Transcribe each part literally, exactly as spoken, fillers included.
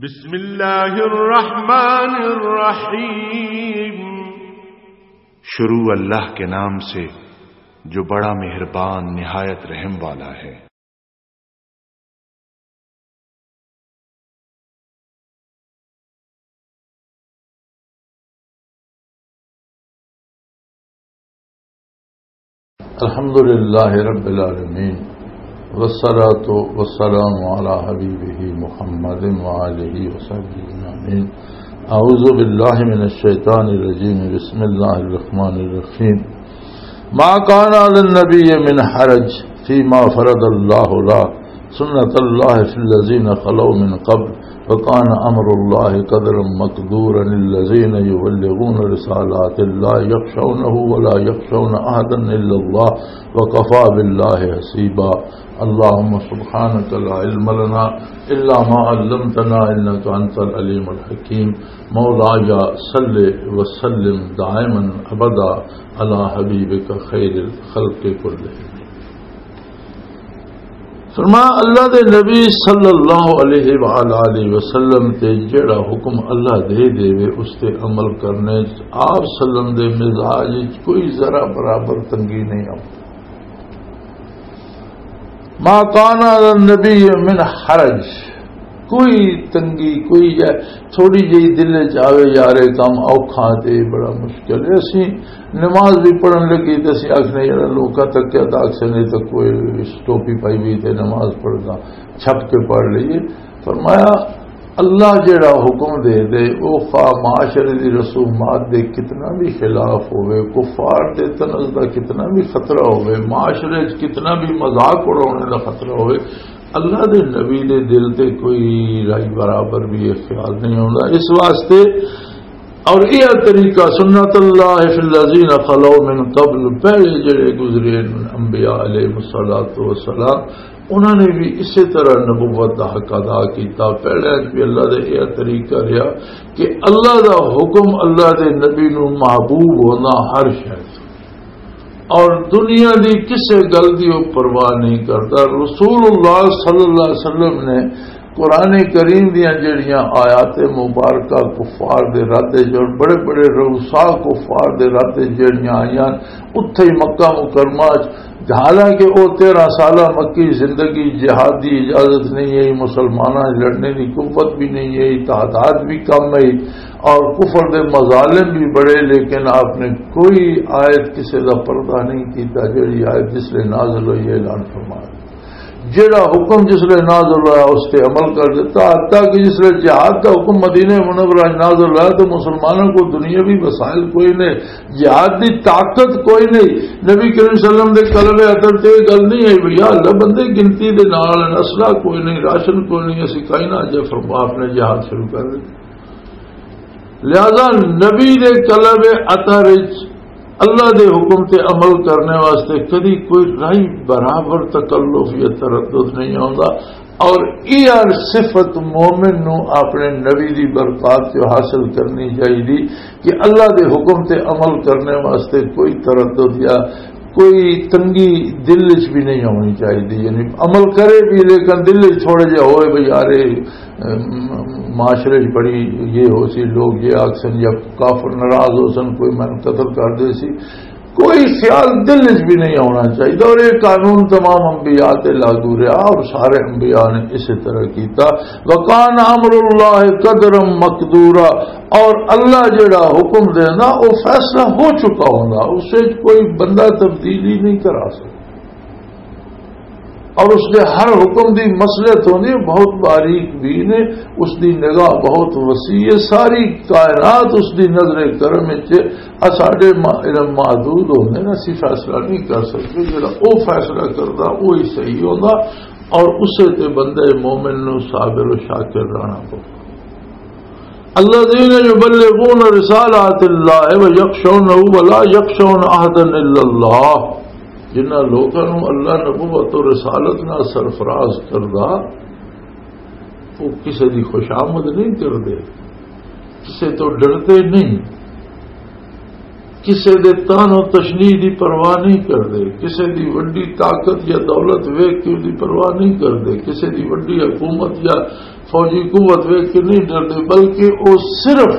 بسم اللہ الرحمن الرحیم۔ شروع اللہ کے نام سے جو بڑا مہربان نہایت رحم والا ہے۔ الحمد لله رب العالمين، والصلاة والسلام على حبيبه محمد وآله وصحبه أجمعين. أعوذ بالله من الشيطان الرجيم. بسم الله الرحمن الرحيم. ما كان على النبي من حرج فيما فرض الله له، سنة الله في الذين خلوا من قبل، وكان أمر الله قدرا مقدورا. الذين يبلغون رسالات الله يخشونه ولا يخشون أحدا إلا الله، وكفى بالله حسيبا. اللهم سبحانك لا علم لنا إلا ما علمتنا إنك أنت العليم الحكيم. مولاي صل وسلم دائما أبدا على حبيبك خير الخلق كلهم. فرمایا، اللہ دے نبی صلی اللہ علیہ وآلہ وسلم تے جڑا حکم اللہ دے دے وے، اس تے عمل کرنے، آپ سلم دے مزاج وچ کوئی ذرا برابر تنگی نہیں آؤ۔ ما کان علی النبی من حرج، کوئی تنگی، کوئی یہ تھوڑی جہی دل وچ آوے، یار، یہ کام اوکھا تے بڑا مشکل ہے۔ اسی نماز بھی پڑھن لگی تے اسی آکھنے، یار، لوکاں تک کیا تاک سے نہیں تو کوئی ٹوپی پائی ہوئی تے نماز پڑھنا، چھپ کے پڑھ لئیے۔ فرمایا، اللہ جڑا حکم دے دے، او خواہ معاشرے دی رسومات دے کتنا بھی خلاف ہوئے، کفار دے طنز دا کتنا بھی خطرہ ہوئے، معاشرے وچ کتنا بھی مذاق اڑانے دا خطرہ ہوئے، اللہ دے نبی دے دل تے کوئی رائی برابر بھی یہ خیال نہیں ہوندا۔ اس واسطے اور یہ طریقہ سنت اللہ فی الذین خلو من قبل، پہلے جڑے گزرے انبیاء علیہ الصلوۃ والسلام، انہوں نے بھی اسی طرح نبوت دا حق ادا کیتا۔ پہلے بھی اللہ دا یہ طریقہ رہا کہ اللہ دا حکم، اللہ دے نبی نو محبوب ہونا ہر شے، اور دنیا دی کسے گل دی وہ پرواہ نہیں کرتا۔ رسول اللہ صلی اللہ علیہ وسلم نے قرآن کریم دیاں جڑیاں آیات مبارکہ کفار دے رد وچ اور بڑے بڑے رؤسا کفار دے رد وچ جڑیاں آئیاں، اتھے ہی مکہ مکرمہ وچ، حالانکہ او تیرہ سالہ مکی زندگی، جہاد دی اجازت نہیں ہے، مسلماناں لڑنے دی قوت بھی نہیں ہے، تعداد بھی کم ہے اور کفر دے مظالم بھی بڑے، لیکن آپ نے کوئی آیت کسے دا پردہ نہیں کیتا۔ جڑی آیت جس لے نازل ہوئی ہے، اعلان فرمایا۔ جڑا حکم جس لے نازل ہوا، اس تے عمل کر دیتا۔ حتیٰ کہ جس لے جہاد دا حکم مدینہ منورہ وچ نازل ہوا، تو مسلمانوں کو دنیاوی وسائل کوئی نہیں، جہاد دی طاقت کوئی نہیں۔ نبی کریم صلی اللہ علیہ وسلم دے قلب اطہر تے یہ گل نہیں آئی، بھئی یا اللہ، بندے گنتی دے نال، اسلحہ کوئی نہیں، راشن کوئی نہیں، اسی کائنا جے فرما اپنے جہاد شروع کر دے۔ لہذا نبی دے قلب اطہر وچ اللہ دے حکم تے عمل کرنے واسطے کدی کوئی رائی برابر تکلف یا تردد نہیں آوندا۔ اور یہ صفت مومن نو اپنے نبی دی برکات چوں حاصل کرنی چاہیے کہ اللہ دے حکم تے عمل کرنے واسطے کوئی تردد یا کوئی تنگی دل وچ بھی نہیں ہونی چاہیے۔ یعنی عمل کرے بھی، لیکن دل وچ تھوڑے جہا ہوئے بھی، یار، اے، ام، معاشرے وچ بڑی یہ ہو سی، لوگ یہ آکھ سن یا کافر ناراض ہو سن، کوئی مینوں قتل کر دے سی، کوئی خیال دل وچ بھی نہیں ہونا چاہیے۔ اور یہ قانون تمام انبیاء تے لاگو رہا اور سارے انبیاء نے اسی طرح کیتا۔ وکان امر اللہ قدرا مقدورا، اور اللہ جڑا حکم دیندا، وہ فیصلہ ہو چکا ہوندا، اس وچ کوئی بندہ تبدیلی نہیں کرا سکتا۔ اور اس دے ہر حکم دی مصلحت ہوندی ہے، بہت باریک بین ہے، اس دی نگاہ بہت وسیع ہے، ساری کائنات اس دی نظر کرم وچ ہے۔ اساڈے ما-، علم محدود ہوندے نے، اسی فیصلہ نہیں کر سکتے۔ جڑا او فیصلہ کردا، وہی صحیح ہوندا، اور اسے تے بندے مومن نو صابر و شاکر رہنا پوندا۔ الذين يبلغون رسالات الله ويخشونه ولا يخشون أحدا إلا الله۔ جنہاں لوکاں نوں اللہ نبوت و رسالت نال سرفراز کردا، وہ کسے دی خوش آمد نہیں کردے، کسے تو ڈردے نہیں۔ کسے دے تان و تشنی دی پرواہ نہیں کردے، کسے دی وڈی طاقت یا دولت ویکھ کے دی پرواہ نہیں کردے، کسے دی وڈی حکومت یا فوجی قوت ویکھ کے نہیں ڈردے، بلکہ او صرف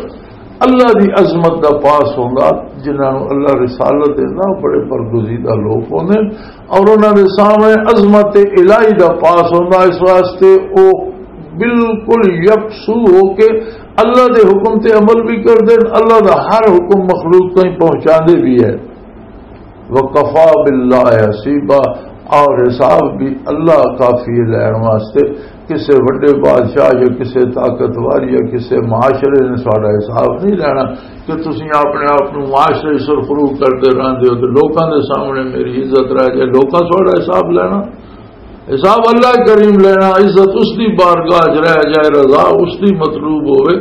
اللہ دی عظمت دا پاس ہوندا۔ جنہاں نوں اللہ رسالت دیندا، بڑے برگزیدہ لوگ ہوندے، اور انہاں دے سامنے عظمت الہی دا پاس ہوندا۔ اس واسطے او بالکل یکسو ہو کے اللہ دے حکم تے عمل بھی کردے، اللہ دا ہر حکم مخلوق تائیں پہنچاندے بھی ہے۔ وَكَفَىٰ بِاللَّهِ حَسِيبًا، اور حساب بھی اللہ کافی ہے لین واسطے۔ کسے وڈے بادشاہ یا کسے طاقتور یا کسے معاشرے نے ساڈا حساب نہیں لینا۔ کہ تسی اپنے آپ نوں معاشرے سرخرو کردے رہندے ہو تے لوکاں دے سامنے میری عزت رہ جائے، لوکاں ساڈا حساب لینا؟ حساب اللہ کریم لینا، عزت اس دی بارگاہ 'چ رہ جائے، رضا اس دی مطلوب ہوئے۔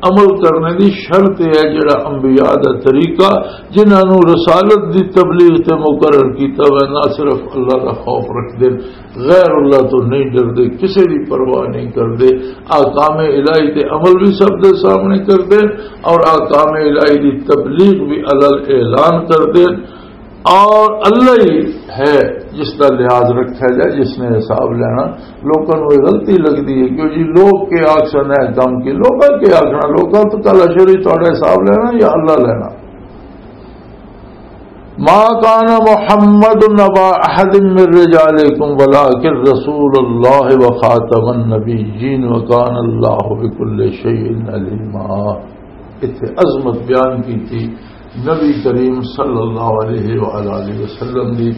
عمل کرنے دی شرط یہ ہے، جڑا انبیاء دا طریقہ، جنہاں نوں رسالت دی تبلیغ تے مقرر کیتا ہوئے، نہ صرف اللہ دا خوف رکھ دے، غیر اللہ تو نہیں ڈردے، کسے دی پرواہ نہیں کردے، احکام الہی تے عمل بھی سب دے سامنے کردے اور احکام الہی دی تبلیغ بھی الگ اعلان کردے۔ اور اللہ ہی ہے جس دا لحاظ رکھا جائے، جس نے حساب لینا۔ لوکاں نوں یہ غلطی لگدی ہے کہ جی لوگ کے آکھن ہے کم کی، لوکاں کے آکھنا، لوکاں تو کل اشر ہی تہاڈا حساب لینا یا اللہ لینا؟ ما كان محمد أبا أحد من رجالكم ولكن رسول الله وخاتم النبيين وكان الله بكل شيء عليما۔ اتھے عظمت بیان کی تھی نبی کریم صلی اللہ علیہ وآلہ وسلم دی۔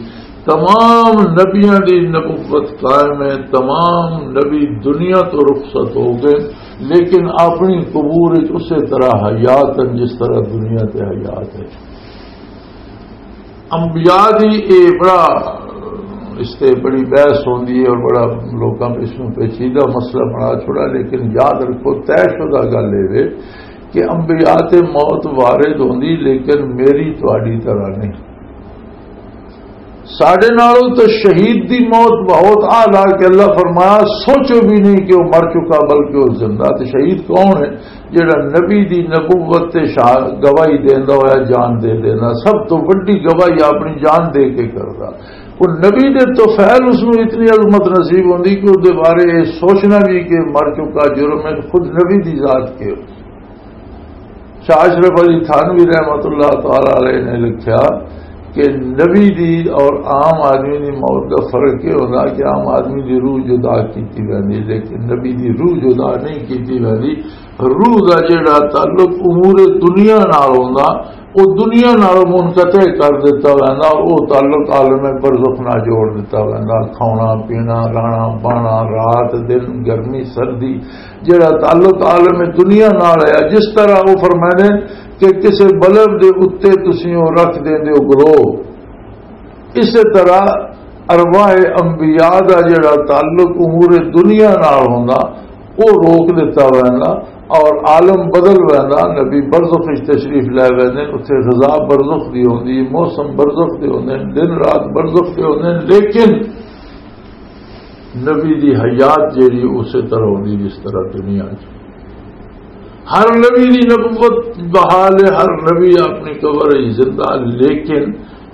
تمام نبیاں دی نبوت قائم ہے، تمام نبی دنیا تو رخصت ہو گئے، لیکن اپنی قبور وچ اسی طرح حیات ہیں جس طرح دنیا تے حیات ہے۔ انبیاء دی اے بڑا، اس تے بڑی بحث ہوندی ہے اور بڑا لوکاں اس نوں پیچیدہ مسئلہ بنا چھوڑا، لیکن یاد رکھو، طے شدہ گل اے وے کہ انبیاء تے موت وارد ہوندی، لیکن میری تہاڈی طرح نہیں۔ ساڈے نالوں تے شہید دی موت بہت اعلیٰ کہ اللہ فرمایا، سوچو بھی نہیں کہ وہ مر چکا، بلکہ وہ زندہ۔ تے شہید کون ہے؟ جڑا نبی دی نبوت تے شا-، گواہی دیندا ہویا جان دے دینا، سب تو وڈی گواہی اپنی جان دے کے کردا۔ وہ نبی دے طفیل اس نوں اتنی عظمت نصیب ہوندی کہ اس دے بارے یہ سوچنا بھی کہ مر چکا جرم ہے، خود نبی دی ذات کے۔ شاہ اشرف علی تھانوی رحمت اللہ تعالی علیہ نے لکھیا کہ نبی دی اور عام آدمی دی موت دا فرق یہ ہوندا کہ عام آدمی دی روح جدا کیتی ویندی، لیکن نبی دی روح جدا نہیں کیتی ویندی۔ روح دا جڑا تعلق امور دنیا نال ہوندا، او دنیا نال منقطع کر دتا ویندا، او تعلق عالم برزخ نال جوڑ دتا ویندا۔ کھانا پینا، رہنا بانا، رات دن، گرمی سردی، جڑا تعلق عالم دنیا نال ہے، جس طرح وہ فرماندے کہ کسے بلب دے اُتے تسی او رکھ دیندے ہو گلو، اسی طرح ارواح انبیاء دا جڑا تعلق امور دنیا نال ہوندا، او روک دتا ویندا اور عالم بدل ویندا۔ نبی برزخ وچ تشریف لے ویندے، اتھے رضا برزخ دی ہوندی، موسم برزخ دے ہوندے، دن رات برزخ دے ہوندے، لیکن نبی دی حیات جیڑی اسی طرح ہوندی جس طرح دنیا چ۔ ہر نبی دی نبوت بحال ہے، ہر نبی اپنی قبر وچ زندہ، لیکن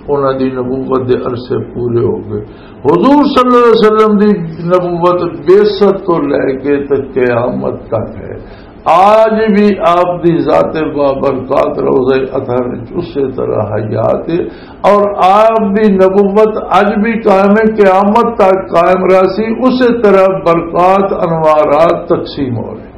انہاں دی نبوت دے عرصے پورے ہو گئے۔ حضور صلی اللہ علیہ وسلم دی نبوت بعثت تو لے کے تے قیامت تک ہے۔ آج بھی آپ دی ذات بابرکات روضہ اطہر وچ اسی طرح حیات ہے، اور آپ دی نبوت اج بھی قائم ہے، قیامت تک قائم رہسی، اسی طرح برکات انوارات تقسیم ہو رہے۔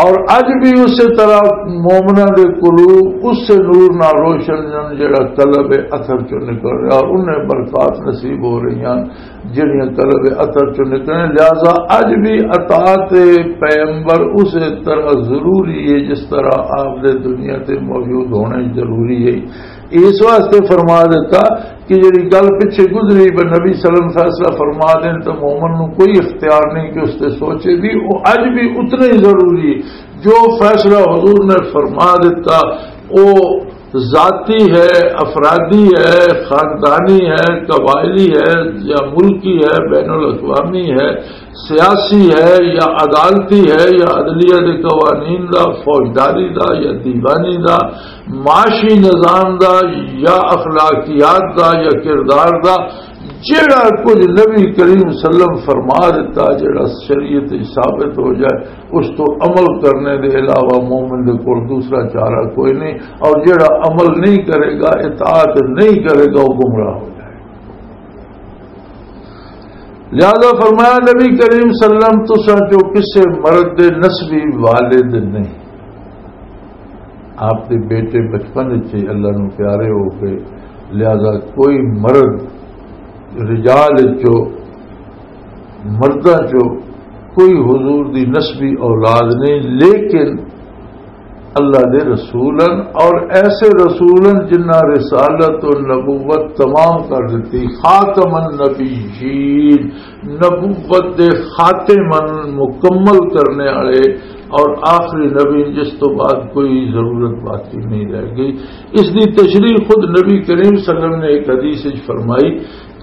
اور اج بھی اسی طرح مومناں دے قلوب اس نور نال روشن جن جڑا قلب اثر چوں نکل رہا، اور انہیں برکات نصیب ہو رہی ہیں جڑیاں قلب اثر چوں نکلن۔ لہذا اج بھی اطاعت پیغمبر اسی طرح ضروری ہے جس طرح آپ دے دنیا تے موجود ہونے ضروری ہے۔ اس واسطے فرما دیتا کہ جڑی گل پچھے گزری، پر نبی صلی اللہ علیہ وسلم فیصلہ فرما دین تو مومن نو کوئی اختیار نہیں کہ اس تے سوچے بھی، وہ اج بھی اتنا ہی ضروری ہے۔ جو فیصلہ حضور نے فرما دیتا، وہ ذاتی ہے، افرادی ہے، خاندانی ہے، قبائلی ہے یا ملکی ہے، بین الاقوامی ہے، سیاسی ہے یا عدالتی ہے یا عدلیہ دے قوانین دا، فوجداری دا یا دیوانی دا، معاشی نظام دا یا اخلاقیات دا یا کردار دا، جڑا کچھ نبی کریم صلی اللہ علیہ وسلم فرما دیتا، جڑا شریعت وچ ثابت ہو جائے، اس تو عمل کرنے دے علاوہ مومن دے کول دوسرا چارہ کوئی نہیں، اور جڑا عمل نہیں کرے گا، اطاعت نہیں کرے گا، وہ گمراہ ہو جائے۔ لہذا فرمایا نبی کریم صلی اللہ علیہ وسلم، تساں چو کسے مرد دے نسبی والد نہیں۔ آپ دے بیٹے بچپن وچ ہی اللہ نو پیارے ہو گئے، لہذا کوئی مرد، رجال چو، مرداں چو کوئی حضور دی نسبی اولاد نہیں، لیکن اللہ دے رسول ہن، اور ایسے رسول ہن جنہاں رسالت و نبوت تمام کر دیتی، خاتم النبیین، نبوت دے خاتم ہن، مکمل کرنے والے، اور آخری نبی جس تو بعد کوئی ضرورت باقی نہیں رہ گئی۔ اس دی تشریح خود نبی کریم صلی اللہ علیہ وسلم نے ایک حدیث وچ فرمائی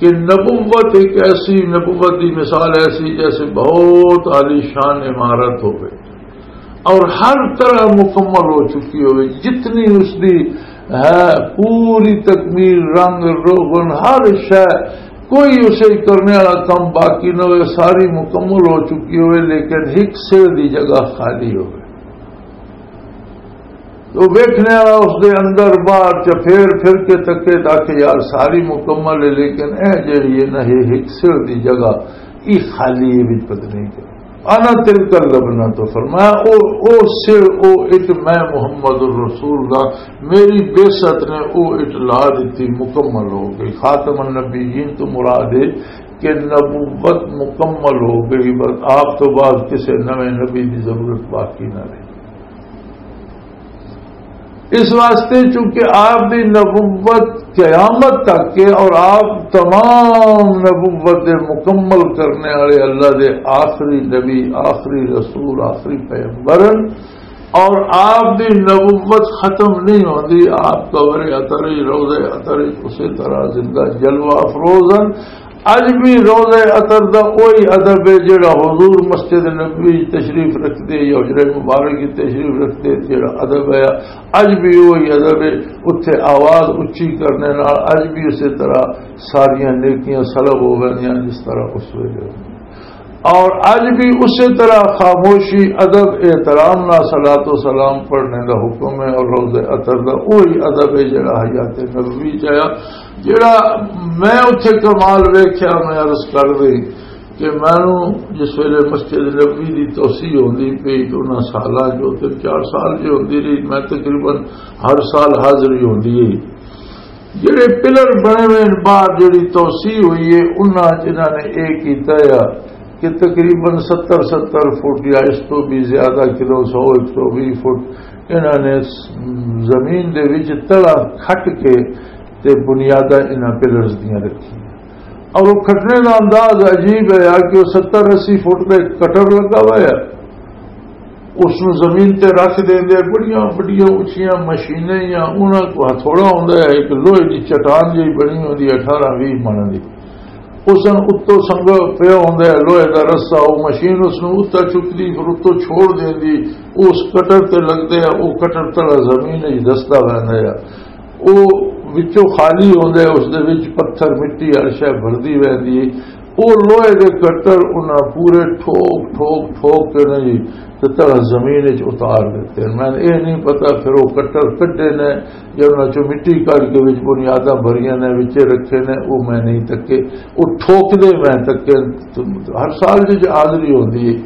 کہ نبوت ایک ایسی، نبوت دی مثال ایسی جیسے بہت عالی شان عمارت ہوئے اور ہر طرح مکمل ہو چکی ہوئے، جتنی اس دی ہے پوری تکمیل، رنگ روغن، ہر شے، کوئی اسے کرنے والا کم باقی نہ ہوئے، ساری مکمل ہو چکی ہوئے، لیکن ایک سر دی جگہ خالی ہوئے۔ تو ویکھنے والا اس دے اندر باہر چ پھیر پھر کے تکے تاکہ یار ساری مکمل ہے، لیکن اے جڑی ہے نا، یہ ایک سر دی جگہ، یہ خالی ہے، بھی پتہ نہیں کیا۔ انا تلک اللبنہ، تو فرمایا، او، او سر، او اٹ میں محمد الرسول دا، میری بعثت نے او اٹ لا دیتی، مکمل ہو گئی۔ خاتم النبیین تو مراد ہے کہ نبوت مکمل ہو گئی، بس آپ تو بعد کسی نویں نبی دی ضرورت باقی نہ رہی۔ اس واسطے چونکہ آپ دی نبوت قیامت تک ہے اور آپ تمام نبوت دے مکمل کرنے والے اللہ دے آخری نبی، آخری رسول، آخری پیغمبر ہیں، اور آپ دی نبوت ختم نہیں ہوندی۔ آپ قبر عطر ہی، روضہ عطر ہی اسی طرح زندہ جلوہ افروز ہیں۔ اج بھی روضہ عطر دا اوہی ادب ہے جڑا حضور مسجد نبوی تشریف رکھدے یا حجرہ مبارک کی تشریف رکھدے، جڑا ادب ہے، اج بھی اوہی ادب ہے۔ اتھے آواز اچھی کرنے نال اج بھی اسی طرح ساریاں نیکیاں سلب ہو گئیاں جس طرح اس ویلے ہوندی۔ اور اج بھی اسی طرح خاموشی، ادب، احترام نال صلاۃ و سلام پڑھنے دا حکم ہے، اور روضہ عطر دا اوہی ادب ہے جڑا حیات نبوی چ آیا۔ جڑا میں اتھے کمال ویکھیا، میں عرض کر دئی کہ مینوں جس ویلے مسجد نبوی دی توسیع ہوندی پئی، تو انہاں سالاں جو تین چار سال جو ہوندی رہی، میں تقریباً ہر سال حاضری ہوندی ہے۔ جڑے پلر بنے ہوئے ہیں، باہر جڑی توسیع ہوئی ہے، انہاں جنہاں نے یہ کیتا ہے کہ تقریباً ستر، ستر فٹ یا اس تو بھی زیادہ، کلو سو، ایک سو بھی فٹ، انہاں نے زمین دے وچ تڑا کھٹ کے تے بنیاداں انہاں پلرز دیاں رکھی۔ اور وہ کھٹنے دا انداز عجیب ہے یار، کہ وہ ستر اسی فٹ تے کٹر لگا ہوا ہے، اس نوں زمین تے رکھ دیندے، بڑیاں بڑیاں اچیاں مشینیں یا انہاں کو ہتھوڑا ہوندا ہے، ایک لوہے دی چٹان جہی بنی ہوندی ہے اٹھارہ ویہہ من دی، اس نوں اتوں سنگ پیا ہوندا ہے لوہے دا رسا، وہ مشین اس نوں اتوں چکدی، پھر اتوں چھوڑ دیندی، وہ اس کٹر تے لگدے ہے، وہ کٹر تلا زمین وچ دسدا ویندا ہے۔ او وچوں خالی ہوندا ہے، اس دے وچ پتھر، مٹی، ہر شے بھردی ویندی ہے۔ او لوہے دے کٹر انہاں پورے ٹھوک، ٹھوک، ٹھوک کے نا جی، تے تلا زمین وچ اتار دتے۔ میں اے نہیں پتا پھر او کٹر کڈے نے یا انہاں چوں مٹی کڈ کے وچ بنیاداں بھریاں نے، وچے رکھے نے، او میں نہیں تکے۔ او ٹھوک دے میں تکے۔ ہر سال جی حاضری ہوندی ہے،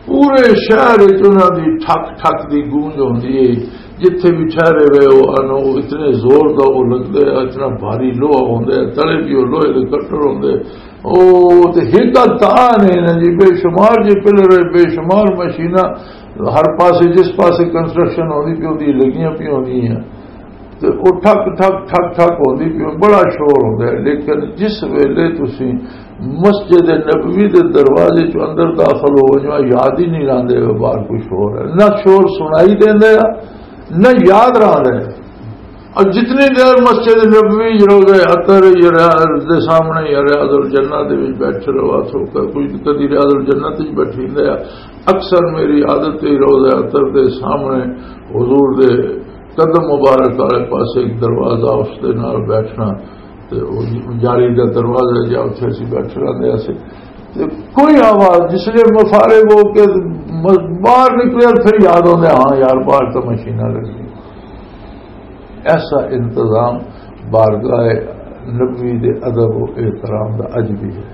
پورے شہر وچ انہاں دی ٹھک ٹھک دی گونج ہوندی ہے۔ جتھے بھی ٹھہرے ہوئے ہو، انو اتنے زور دا وہ لگدے، اتنا بھاری لوہا ہوندے، تلے بھی وہ لوہے دے کٹر ہوندے۔ او تے ہک دا تاں نہیں نا جی، بے شمار جی پلر ہے، بے شمار مشیناں ہر پاسے، جس پاسے کنسٹرکشن ہوندی پئی ہوندی، لگیاں پئی ہوندی ہیں۔ تے او ٹھک ٹھک ٹھک ٹھک ہوندی پئی، بڑا شور ہوندا ہے۔ لیکن جس ویلے تسی مسجد نبوی دے دروازے چوں اندر داخل ہو جاؤ، یاد ہی نہیں رہندے باہر کوئی شور ہے، نہ شور سنائی دیندا ہے، نہ یاد رہندا ہے۔ اور جتنی دیر مسجد نبوی، روضہ عطر یا ریاض دے سامنے یا ریاض الجنہ دے وچ بیٹھے رہو، آ سو کر کوئی کدی ریاض الجنہ تے وی بیٹھی ہوندا ہے۔ اکثر میری عادت ہے روضہ عطر دے سامنے حضور دے قدم مبارک والے پاسے ایک دروازہ، اس دے نال بیٹھنا، تے او جاری دا دروازہ جا، اتھے اسی بیٹھے رہندے ہسے۔ تے کوئی آواز، جس لیے میں فارغ ہو کے م-، باہر نکلے، پھر یاد آندے، ہاں یار، باہر تو مشیناں لگی۔ ایسا انتظام بارگاہ نبوی دے ادب و احترام دا اج بھی ہے۔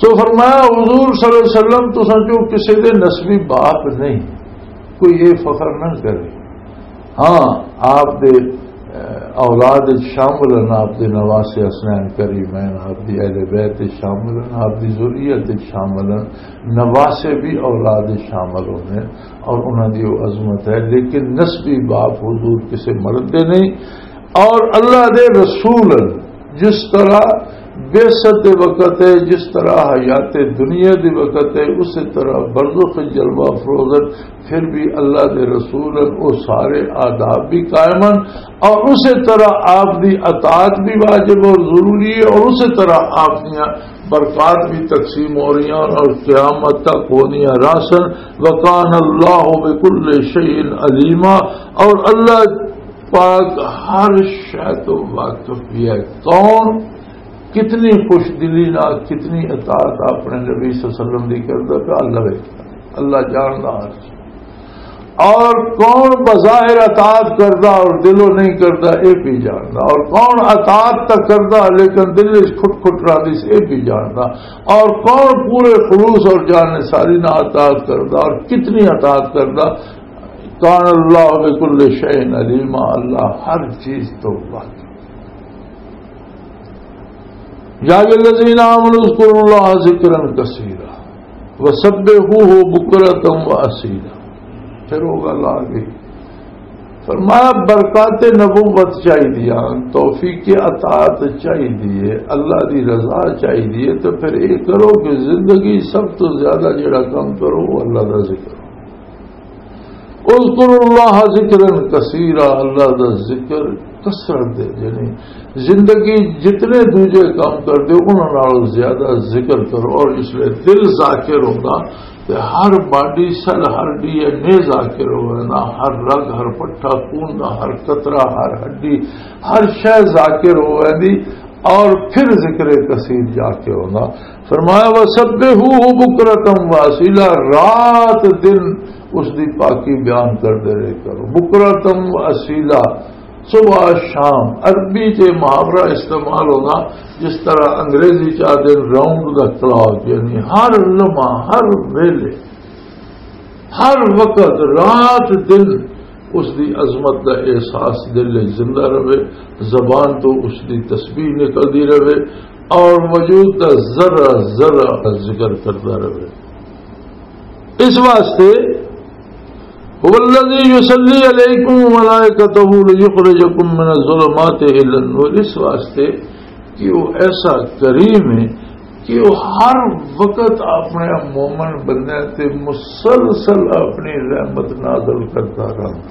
سو فرمایا، حضور صلی اللہ علیہ وسلم تساں چوں کسے دے نسبی باپ نہیں، کوئی یہ فخر نہ کرے۔ ہاں، آپ دے، اے، اولاد وچ شامل ہیں، آپ دے نواسے حسنین کریمین، آپ دی اہل بیت وچ شامل ہیں، آپ دی ذریت وچ شامل ہیں، نواسے بھی اولاد وچ شامل ہوندے ہیں اور انہاں دی وہ عظمت ہے، لیکن نسبی باپ حضور کسے مرد دے نہیں۔ اور اللہ دے رسول ہیں، جس طرح بعثت دے وقت ہے، جس طرح حیات دنیا دے وقت ہے، اسی طرح برزخ جلوہ افروز ہیں، پھر بھی اللہ دے رسول ہیں، وہ سارے آداب بھی قائم ہیں، اور اسی طرح آپ دی اطاعت بھی واجب اور ضروری ہے، اور اسی طرح آپ دیاں برکات بھی تقسیم ہو رہی ہیں اور قیامت تک ہونی ہے راسن۔ وکان اللہ بکل شیء علیما، اور اللہ پاک ہر شے تو واقف بھی ہے۔ کون کتنی خوش دلی نال کتنی اطاعت اپنے نبی صلی اللہ علیہ وسلم دی کردا پیا، اللہ ویکھدا، اللہ جاندا ہر چیز۔ اور کون بظاہر اطاعت کردا اور دلوں نہیں کردا، اے بھی جاندا۔ اور کون اطاعت تک کردا لیکن دل وچ کھٹ کھٹ رہندی سی، اے بھی جاندا۔ اور کون پورے خلوص اور جان ساری نال اطاعت کردا اور کتنی اطاعت کردا، کان اللہ بکل شیء علیما، اللہ ہر چیز تو واقف۔ یا ایھا الذین آمنوا اذکروا اللہ ذکرا کثیرا وسبحوہ بکرۃ و اصیلا۔ پھر وہ گل آ گئی، فرمایا، برکات نبوت چاہیے، توفیق اطاعت چاہیے، اللہ دی رضا چاہیے، تو پھر یہ کرو کہ زندگی سب تو زیادہ جڑا کام کرو، وہ اللہ دا ذکر۔ اذکروا اللہ ذکرا کثیرا، اللہ دا ذکر کثرت دے، یعنی زندگی جتنے دوجے کام کر دے، انہاں نال زیادہ ذکر کرو۔ اور اس لیے دل ذاکر ہوندا تے ہر باڈی سیل، ہر ڈی این اے ذاکر ہووے نا، ہر رگ، ہر پٹھا خون دا، ہر قطرہ، ہر ہڈی، ہر شے ذاکر ہووے دی، اور پھر ذکر کثیر جا کے ہونا۔ فرمایا، وسبحوہ بکرۃ و اصیلا، رات دن اس دی پاکی بیان کردے رہے کرو، بکرۃ و اصیلا، صبح شام۔ عربی تے محاورہ استعمال ہونا، جس طرح انگریزی چاہ دے راؤنڈ دا کلاک، یعنی ہر لمحہ، ہر ویلے، ہر وقت، رات دن اس دی عظمت دا احساس دل وچ زندہ رہے، زبان تو اس دی تسبیح نکلدی رہے اور وجود دا ذرہ ذرہ ذکر کردا رہے۔ اس واسطے، هو الذي يصلي عليكم وملائكته ليخرجكم من الظلمات إلى النور، اس واسطے کہ وہ ایسا کریم ہے کہ وہ ہر وقت اپنے مومن بندے تے مسلسل اپنی رحمت نازل کرتا رہتا۔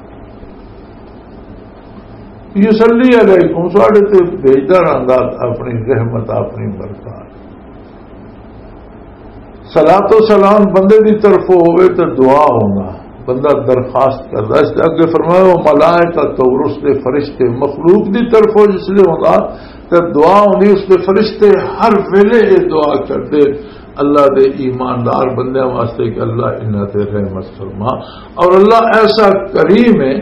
یصلی علیکم، ساڈے تے بھیجدا رہندا اپنی رحمت، اپنی برکات۔ صلاۃ و سلام بندے دی طرفوں ہوئے تے دعا ہونا، بندہ درخواست کردا۔ اس دے اگے فرمایا، وہ ملائکہ تو، اور اس دے فرشتے مخلوق دی طرفوں جس لیے ہوندا تے دعا ہوندی، اس دے فرشتے ہر ویلے یہ دعا کردے اللہ دے ایماندار بندیاں واسطے کہ اللہ انہاں تے رحمت فرما۔ اور اللہ ایسا کریم ہے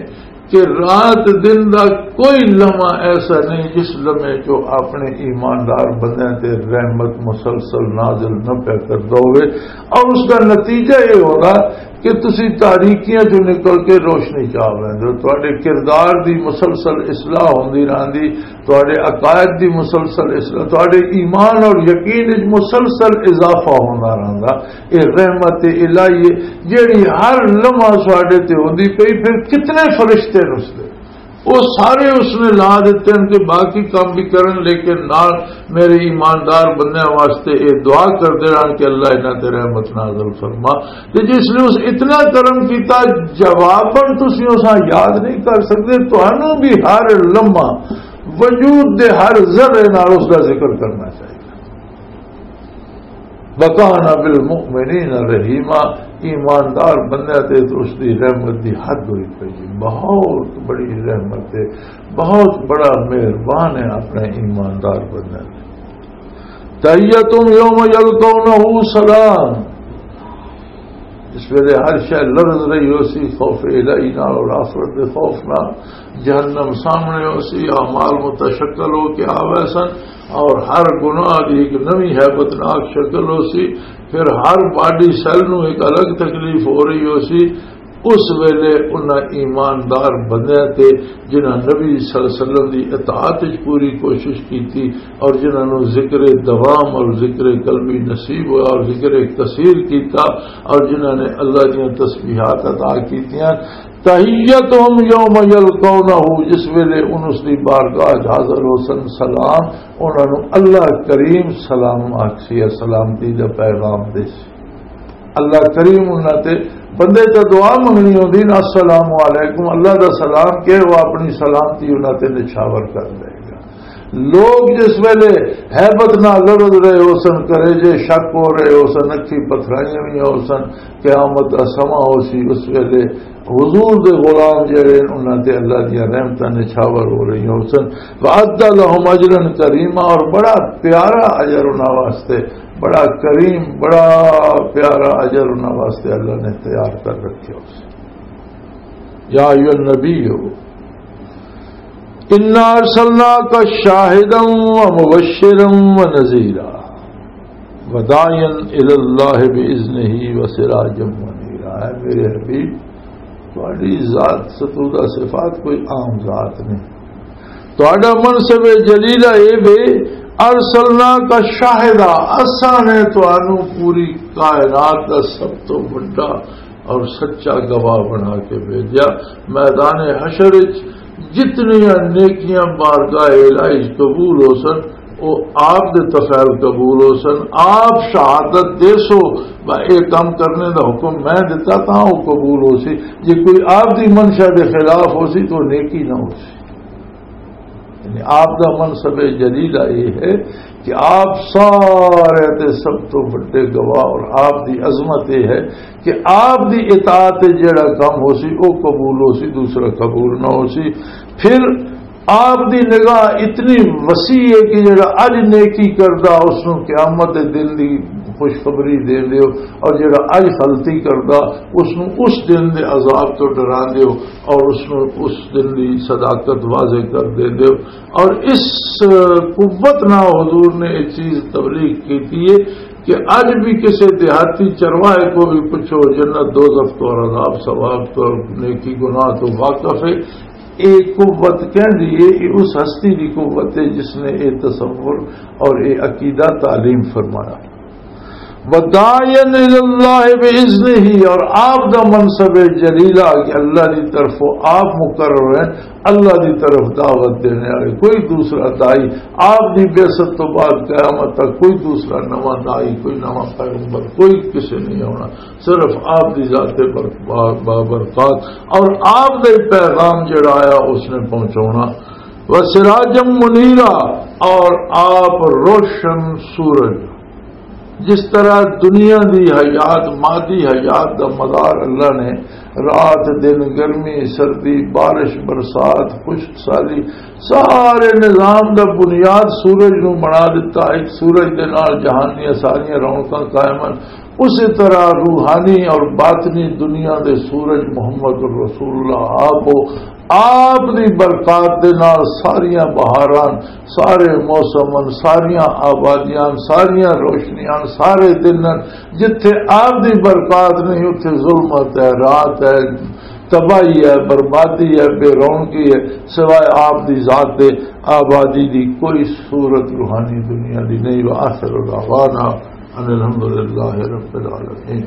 کہ رات دن دا کوئی لمحہ ایسا نہیں جس لمحے جو اپنے ایماندار بندیاں تے رحمت مسلسل نازل نہ پیا کردا ہوئے۔ اور اس دا نتیجہ یہ ہوگا کہ تسی تاریکیاں چوں نکل کے روشنی چ آ ویندے ہو۔ تہاڈے کردار دی مسلسل اصلاح ہوندی رہندی، تہاڈے عقائد دی مسلسل اصلاح، تہاڈے ایمان اور یقین وچ مسلسل اضافہ ہوندا رہندا۔ یہ رحمت الہی ہے، جیڑی ہر لمحہ ساڈے تے ہوندی پئی۔ پھر کتنے فرشتے رسدے، وہ سارے اس نے لا دیتے ہیں کہ باقی کام بھی کرن، لیکن نال میرے ایماندار بندیاں واسطے یہ دعا کردے رہن کہ اللہ انہاں تے رحمت نازل فرما۔ تے جس نے اس اتنا کرم کیتا، جواباً تسی اساں یاد نہیں کر سکتے، تانوں بھی ہر لمحہ وجود دے ہر ذرے نال اس دا ذکر کرنا چاہیے۔ وَكَانَ بِالْمُؤْمِنِينَ رَحِيمًا، ایماندار بندے تے تو اس دی رحمت دی حد ہوئی پئی، بہت بڑی رحمت ہے، بہت بڑا مہربان ہے اپنے ایماندار بندے تے۔ تَحِيَّتُهُمْ يَوْمَ يَلْقَوْنَهُ سَلَامٌ، اس ویلے ہر شے لرز رہی ہو سی، خوف الہی نال اور آخرت دے خوف نال۔ جہنم سامنے ہو سی، اعمال متشکل ہو کے آوے سن، اور ہر گناہ دی ایک نوی ہیبتناک شکل ہو سی۔ پھر ہر باڈی سیل نو ایک الگ تکلیف ہو رہی ہو سی۔ اس ویلے انہاں ایماندار بندیاں تے، جنہاں نبی صلی اللہ علیہ وسلم دی اطاعت وچ پوری کوشش کیتی، اور جنہاں نوں ذکر دوام اور ذکر قلبی نصیب ہوا اور ذکر کثیر کیتا، اور جنہاں نے اللہ دیاں تسبیحات ادا کیتیاں، تحیتہم یوم یلقونہ، جس ویلے ان اس دی بارگاہ وچ حاضر ہو سن، سلام، انہاں نوں اللہ کریم سلام آکھسی، سلامتی دا پیغام دیسی۔ اللہ کریم انہاں تے، بندے تے دعا منگنی ہوندی نا، السلام علیکم، اللہ دا سلام کہ وہ اپنی سلامتی انہاں تے نچھاور کر دے گا۔ لوگ جس ویلے ہیبت نال لڑز رہے ہو سن، کرے جے شک ہو رہے ہو سن، اکھی پتھرائیاں ہوئی ہو سن، قیامت دا سماں ہو سی، اس ویلے حضور دے غلام جڑے انہاں تے اللہ دیاں رحمتاں نچھاور ہو رہی ہو سن۔ وَأَعَدَّ لَهُمْ أَجْرًا كَرِيمًا، اور بڑا پیارا اجر انہاں واسطے، بڑا کریم، بڑا پیارا اجر انہاں واسطے اللہ نے تیار کر رکھے ہو سن۔ یا ایھا النبی، انا ارسلناک شاہدا و مبشرا و نذیرا و داعیا الی اللہ باذنہ و سراجا منیرا۔ اے میرے حبیب، تہاڈی ذات ستودہ صفات کوئی عام ذات نہیں۔ تہاڈا منصب جلیلہ اے وے، ارسلناک شاہدا، اساں نے تہانوں پوری کائنات دا سب تو وڈا اور سچا گواہ بنا کے بھیجا۔ میدان حشر وچ جتنیاں نیکیاں بارگاہ الہی قبول ہو سن، وہ آپ دے طفیل قبول ہو سن۔ آپ شہادت دے سو، با اے کام کرنے دا حکم میں دتا تاں وہ قبول ہو سی۔ جے کوئی آپ دی منشا دے خلاف ہو سی تو نیکی نہ ہو سی۔ یعنی آپ دا منصب جلیلہ یہ ہے کہ آپ سارے تے سب تو بڑے گواہ، اور آپ دی عظمت یہ ہے کہ آپ دی اطاعت تے جڑا کام ہو سی، او قبول ہو سی، دوسرا قبول نہ ہو سی۔ پھر آپ دی نگاہ اتنی وسیع ہے کہ جڑا اج نیکی کردا، اس نوں قیامت دے دن دی خوشخبری دے دیو، اور جڑا اج غلطی کردا، اس نوں اس دن دے عذاب تو ڈرا دیو، اور اس نوں اس دن دی صداقت واضح کر دے دیو۔ اور اس قوت نہ حضور نے یہ چیز تبلیغ کی تھی ہے کہ اج بھی کسی دیہاتی چرواہے کو بھی پوچھو، جنت دوزخ تو اور عذاب ثواب تو اور نیکی گناہ تو واقف ہے۔ یہ قوت کہہ دیے، یہ اس ہستی کی قوت ہے جس نے یہ تصور اور یہ عقیدہ تعلیم فرمایا۔ وداعیا الی اللہ باذنہ، اور آپ دا منصب جلیلہ کہ اللہ دی طرفوں آپ مقرر ہیں، اللہ دی طرف دعوت دینے والے، کوئی دوسرا داعی آپ دی بعثت تو بعد قیامت تک کوئی دوسرا نواں داعی، کوئی نواں پیغمبر، کوئی کسے نہیں ہونا، صرف آپ دی ذات بر-، با-، بابرکات اور آپ دے پیغام جڑا آیا اس نے پہنچانا۔ وسراجا منیرا، اور آپ روشن سورج۔ جس طرح دنیا دی حیات، مادی حیات دا مدار اللہ نے رات دن، گرمی سردی، بارش برسات، خشک سالی، سارے نظام دا بنیاد سورج نو بنا دیتا۔ ایک سورج دے نال جہان دیاں ساریاں رونقاں قائم ہیں۔ اسی طرح روحانی اور باطنی دنیا دے سورج محمد رسول اللہ آپ ہو، آپ دی برکات دے نال ساریاں بہاراں، سارے موسم، ساریاں آبادیاں، ساریاں روشنیاں، سارے دن۔ جتھے آپ دی برکات نہیں، اتھے ظلمت ہے، رات ہے، تباہی ہے، بربادی ہے، بے رونقی ہے۔ سوائے آپ دی ذات دے آبادی دی کوئی صورت روحانی دنیا دی نہیں۔ وآخر دعوانا ان الحمدللہ رب العالمین۔